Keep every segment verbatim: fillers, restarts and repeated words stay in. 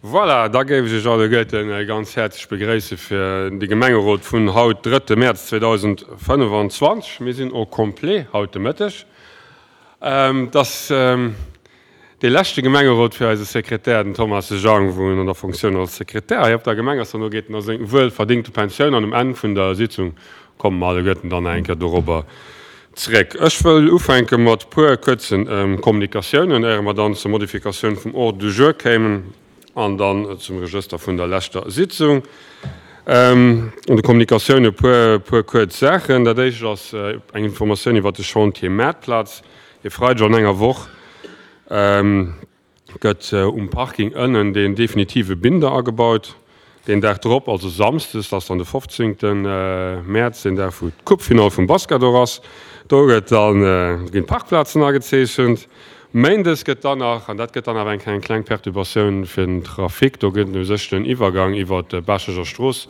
Voilà, da géif ech Iech alleguerten ganz häerzlech begréisse fir de Gemengerot vun haut, drëtte Mäerz zweedausendfënnefanzwanzeg. Mir sinn au complet haut de Mëtteg. Et ass dee leschte Gemengerot fir eise Sekretär, den Thomas Jang, wou en an der Fonctioun als Sekretär hei op der Gemeng ass. Dono geet en a seng wuelverdingte Pensioun an um Enn vun der Sitzung komme mer alleguerten dann nach eng Kéier dorobber zréck. Ech wëll ufänke mat puer kuerzen Kommunikatiounen, éiere mer dann zur Modifikatioun vum Ordre du jour kéimen an dann zum Regëster vun der leschter Sitzung. Un de Kommunikatioune puer puer kuerz Saachen. Dat éischt ass eng Informatioun iwwert de Chantier Maartplatz. E Freideg an enger Woch gëtt um Parking ënnen deen definitive Binder agebaut. Deen Dag drop, also samsdes, dat ass dann de fofzéngte Mäerz, deen Dag wou d'Coupefinall vum Basket och ass, do gëtt dann, ginn d'Parkplazen agezeechent. Méindes gëtt dann nach, an dat gëtt dann awer eng eng kleng Perturbatioun fir den Trafic, do gëtt u sech den Iwwergang iwwer d'Baacheger Strooss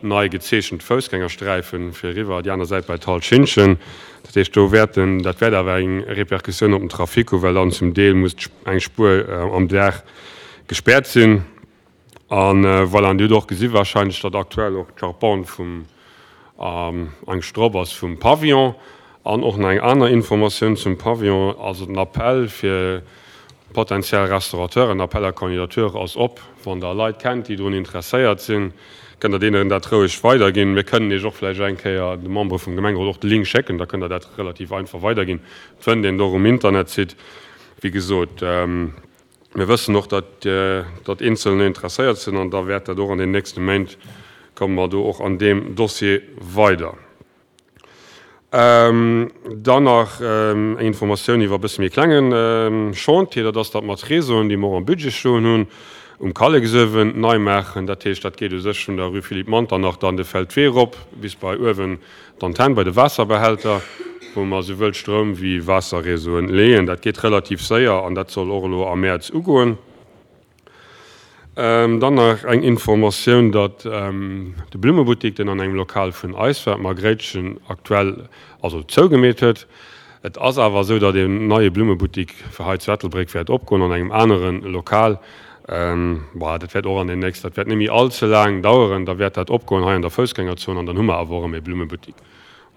nei gezeechent, d'Foussgängersträifen fir eriwwer déi aner Säit bei d'Hal Schintgen. Dat heescht, do wäerten, dat wäert awer eng Repercussioun op den Trafic hu well dann zum Deel muss eng Spuer am Dag gespäert sinn. A voilà, an Dir hutt och gesi wahrscheinlech, datt aktuell och d'Charpente vum eng Stropp ass vum Pavillon. An och nach eng aner Informatioun zum Pavillon, also den Appell fir potentiell Restaurateuren, Appel à candidatures ass op. Wann Der Leit kennt, déi drun interesséiert sinn, kënnt Der deenen dat roueg weiderginn. Mir kënnen Iech och vläicht eng Kéier, de Membere vum Gemengerot, och de Link schécken, da kënnt Der dat relativ einfach weiderginn. Et fënnt een et och um Internetsite. Wéi gesot, mir wëssen och, datt datt Eenzelner interesséiert sinn an da wäert dat och an den nächste Méint, komme mer do och an deem Dossier weider. Dann nach eng Informatioun iwwer e bësse méi klenge Chantier, dat ass, datt mer d'Réseauen, déi mer och am Budget stoen hunn, um Kalleksuewen nei maachen. Dat heescht, dat geet u sech vun der Rue Philippe Manternach dann de Feldwee erop bis bei uewen d'Antenn bei de Waasserbehälter, wou mer souwuel Stroum wéi Waasserréseauen leeën. Dat geet relativ séier an dat soll och elo am Mäerz ugoen. Dann nach eng Informatioun, datt de Blummebuttik, deen an engem Lokal vun eis war, d'Margréitchen, aktuell also zougemeet huet. Et ass awer esou, datt een neie Blummebuttik fir hei zu Ettelbréck wäert opgoen an engem anere Lokal. Bon, dat wäert och an den nächst, dat wäert net méi all ze laang daueren, da wäert dat opgoen hei an der Foussgängerzon an dann hu mer awer och erëm ee Blummebuttik.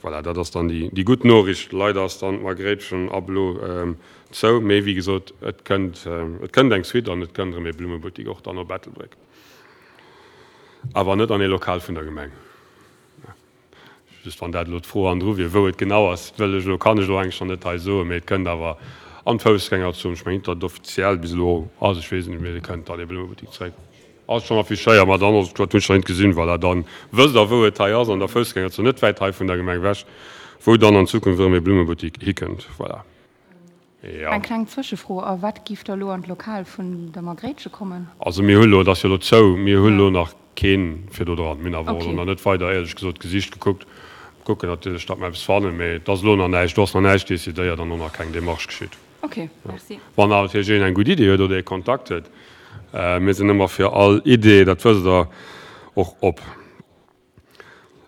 Voilà, dat ass dann déi gutt Noriicht. Leider ass dann d'Margréitchen ab elo zou, mee wéi gesot, et kënnt, et kënnt eng Suite an et kënnt erëm ee Blummebuttik och dann op Ettelbréck. Awer net an ee Lokal vun der Gemeng. Just wann dat elo d'Fro andru wier, wou et genau ass, wëll ech elo, kann ech elo eigentlech nach net hei soen, mee et kënnt awer an d'Foussgängerzon. Ech mengen net, datt et offiziell bis elo ass, ech weess et net, mee et kënnt dann ee Blummebuttik zeréck. Ass schon affichéiert, ma dann ass et, dat hunn ech nach nit gesinn, voilà, dann wësst der wou et hei ass, an der Foussgängerzon, net wäit hei vun der Gemeng ewech, wou dann an Zukunft erëm ee Blummebuttik hikënnt, voilà. Jo. Eng kleng Zwëschefro, A wat giff da lo an d'Lokal vun der Margréitche kommen? Also mir hu lo, et ass jo lo zou, mir hu lo nach keen fir do dran. Mir hunn awer och elo nach net weider, éierlech gesot, gesicht, gekuckt. Kucken natierlech, datt mer eppes fannen, mee et ass elo nach näischt, do ass nach näischt decidéiert an och nach keng Démarche geschitt. Ok, merci. Wann awer natierlech een eng gutt Idee huet oder ee Kontakt huet, mir sinn ëmmer fir all Idee, dat wësst Der, och op.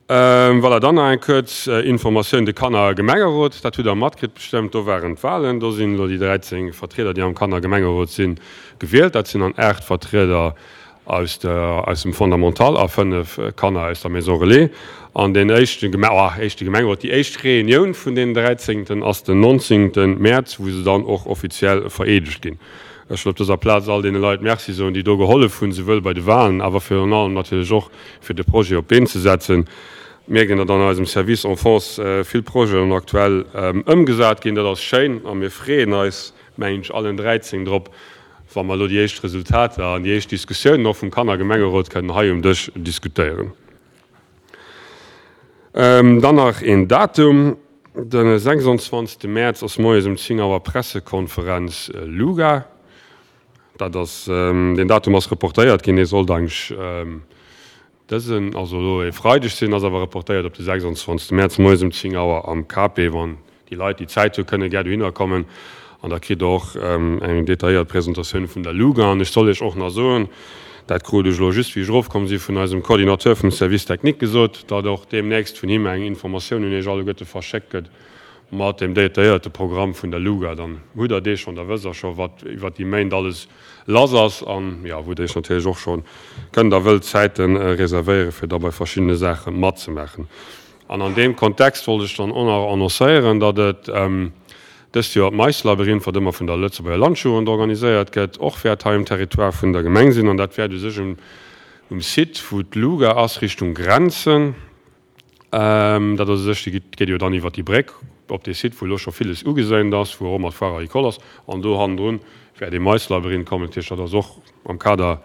Voilà, dann nach eng kuerz Informatioun, de Kannergemengerot, dat hutt Der matkritt bestëmmt, do waren d'Wahlen, do sinn elo déi dräizéng Vertrieder, déi am Kannergemengerot sinn, gewielt. Dat sinn dann aacht Vertrieder aus der, aus dem Fondamental a fënnef Kanner aus der Maison Relais. An deen éischte Geme, oh, éischte Gemengerot, déi éischt Reunioun vun deenen dräizéngten ass den nonzéngten Mäerz, wou se dann och offiziell vereedegt ginn. Ech wëll op dëser Plaz all deene Leit Merci soen, déi do gehollef hunn, souwuel bei de Wahlen, awer virun allem natierlech och fir de Projet op d'Been ze setzen. Mierken, datt an eisem Service Enfance vill Projeten aktuell ëmgesat ginn. Dat ass schéin a mir freeën eis, mengen ech, allen dräizéng drop, wa mer elo déi éischt Resultater an déi éischt Diskussiounen och vum Kannergemengerot kënnen hei um Dësch diskutéieren. Dann nach een Datum, De sechsundzwanzegste Mäerz ass moies um zéng Auer Pressekonferenz Luga. Dat ass, deen Datum ass reportéiert ginn, dee sollt eigentlech Dësen, also elo e Freideg sinn, ass awer reportéiert op de sechsundzwanzegste Mäerz moies um zéng Auer am K P. Wann déi Leit, déi Zäit hu, kënne gär dohinner kommen an da kritt Der och eng detailléiert Presentatioun vun der Luga. An ech soll Iech och nach soen, dat krut ech elo just, wéi ech erofkomm si vun eisem Coordinateur vum Service technique gesot, datt och deemnächst vun him eng Informatioun un Iech alleguerte verschéckt gëtt mat dem detailléierte Programm vun der Luga. Dann hutt Der dee schonn, da wësst Der scho wat iwwer déi Méint alles lass ass an, jo, wou Der Iech natierlech och scho kënnt a wëllt Zäite reservéieren, fir da bei verschiddene Saache matzemaachen. An an deem Kontext wollt ech dann och nach annoncéieren, datt et dëst Joer d'Maislabyrinth, wat ëmmer vun der Lëtzebuerger Landjugend organiséiert gëtt, och wäert hei um Territoire vun der Gemeng sinn. An dat wäert u sech um um Site, wou d'Luga ass, Richtung Grenzen. Dat ass u sech, déi geet jo dann iwwert déi Bréck op dee Site, wou elo scho villes ugeséint ass, wou och ëmmer d'Foire agricole ass. An do hannendrun wäert ee Maislabyrinth kommen. Dat heescht, dat ass och am Kader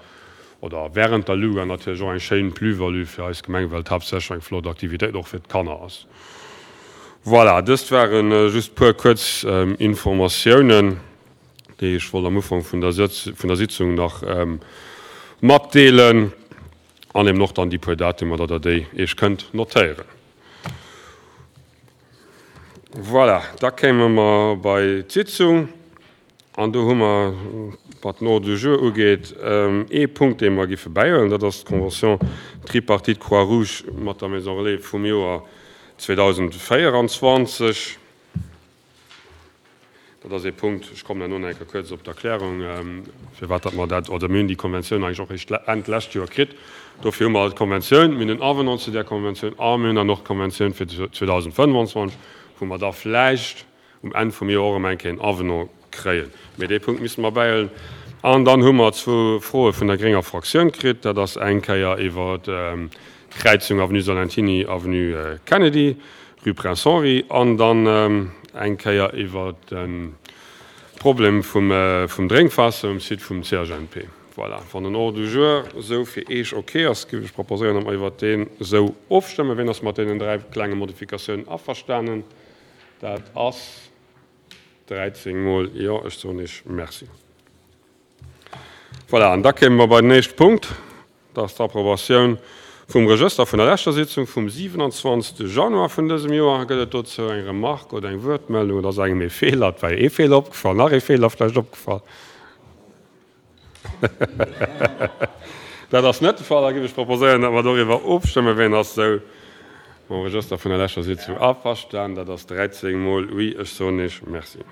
oder während der Luga natierlech och eng schéin Plus-value fir eis Gemeng, well et haaptsächlech eng flott Aktivitéit och fir d'Kanner ass. Voilà, dëst ware just puer kuerz Informatiounen, déi ech wollt am Ufank vun der vun der Sitzung nach matdeelen an eben och dann déi puer Datumer, datt Der déi Iech kënnt notéieren. Voilà, da kéime mer bei d'Sitzung an do hu mer, wat den Ordre du jour ugeet, ee Punkt, dee mer giffe bäihuelen, dat ass d'Convention tripartite Croix-Rouge mat der Maison Relais vum Joer zweedausendvéierundzwanzeg. Dat ass ee Punkt, ech kommen herno nach eng Kéier kuerz op d'Erklärung, firwat datt mer dat, oder mir hunn déi Konventioun eigentlech och eréischt Enn d'lescht Joer kritt. Dofir hu mer d'Konventioun, mir hunn en Avenant zu där Konventioun a mir hunn dann och d'Konventioun fir zweedausendfënfundzwanzeg, wou mer da vläicht um Enn vum Joer och erëm eng Kéier en Avenant kréien. Mee dee Punkt misste mer bäihuelen. An dann hu mer zwou Froe vun der grénger Fraktioun kritt. Dat ass eng Kéier iwwer d'Kräizung Avenue Salentiny, Avenue Kennedy, Rue Prince Henri an dann eng Kéier iwwer de Problem vum Drénkwaasser um Site vum C H N P. Voilà, wann den Ordre du jour esou fir Eech ok ass, géif ech proposéieren, datt mer iwwert deen esou ofstëmmen. Wien ass mat deenen dräi klenge Modifikatiounen averstanen? Dat ass dräizéng mol jo. Ech soen Iech Merci. Voilà, an da kéime mer bei den éischte Punkt. Dat ass d'Approbatioun vum Regëster vun der leschter Sitzung vum siwenanzwanzegste Januar vun dësem Joer. Gëtt et dozou eng Remarque oder eng Wuertmeldung oder ass engem ee Feeler, et war jo ee Feeler opgefall, nach ee Feeler vläicht opgefall? Dat ass net de Fall. Da géif ech proposéieren, datt mer doriwwer ofstëmmen. Wien ass esou mam Regëster vun der leschter Sitzung averstan? Dat ass dräizéng mol oui. Ech soen Iech Merci.